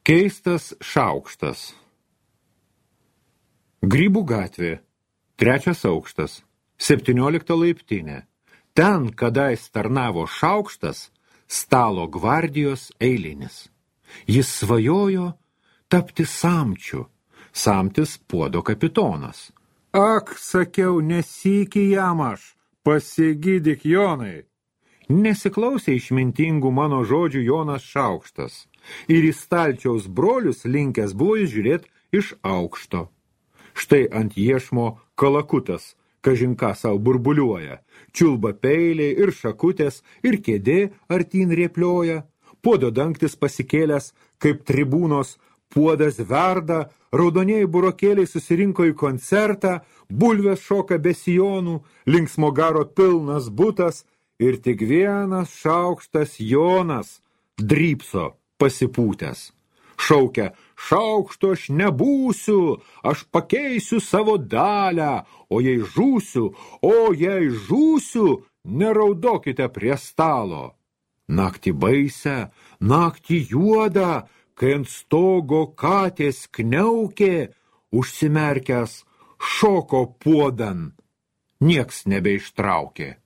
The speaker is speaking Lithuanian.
Keistas šaukštas. Grybų gatvė, 3 aukštas, 17 laiptinė. Ten, kadais tarnavo šaukštas, stalo gvardijos eilinis. Jis svajojo tapti samčiu, samtis puodo kapitonas. Ak, sakiau, nesykį jam aš, pasigydyk Jonai. Nesiklausė išmintingų mano žodžių Jonas šaukštas, ir į stalčiaus brolius linkęs buvo žiūrėt iš aukšto. Štai ant iešmo kalakutas, kažin ką sau burbuliuoja, čiulba peiliai ir šakutės, ir kėdė artyn rėplioja, puodo dangtis pasikėlęs, kaip tribūnos, puodas verda, raudonieji burokėliai susirinko į koncertą, bulvės šoka be sijonų, linksmo garo pilnas butas, ir tik vienas šaukštas Jonas drypso pasipūtęs. Šaukia, šaukšto aš nebūsiu, aš pakeisiu savo dalią, o jei žūsiu, neraudokite prie stalo. Naktį baisę, naktį juodą, kai ant stogo katės kniaukė, užsimerkęs šoko puodan, nieks nebeištraukė.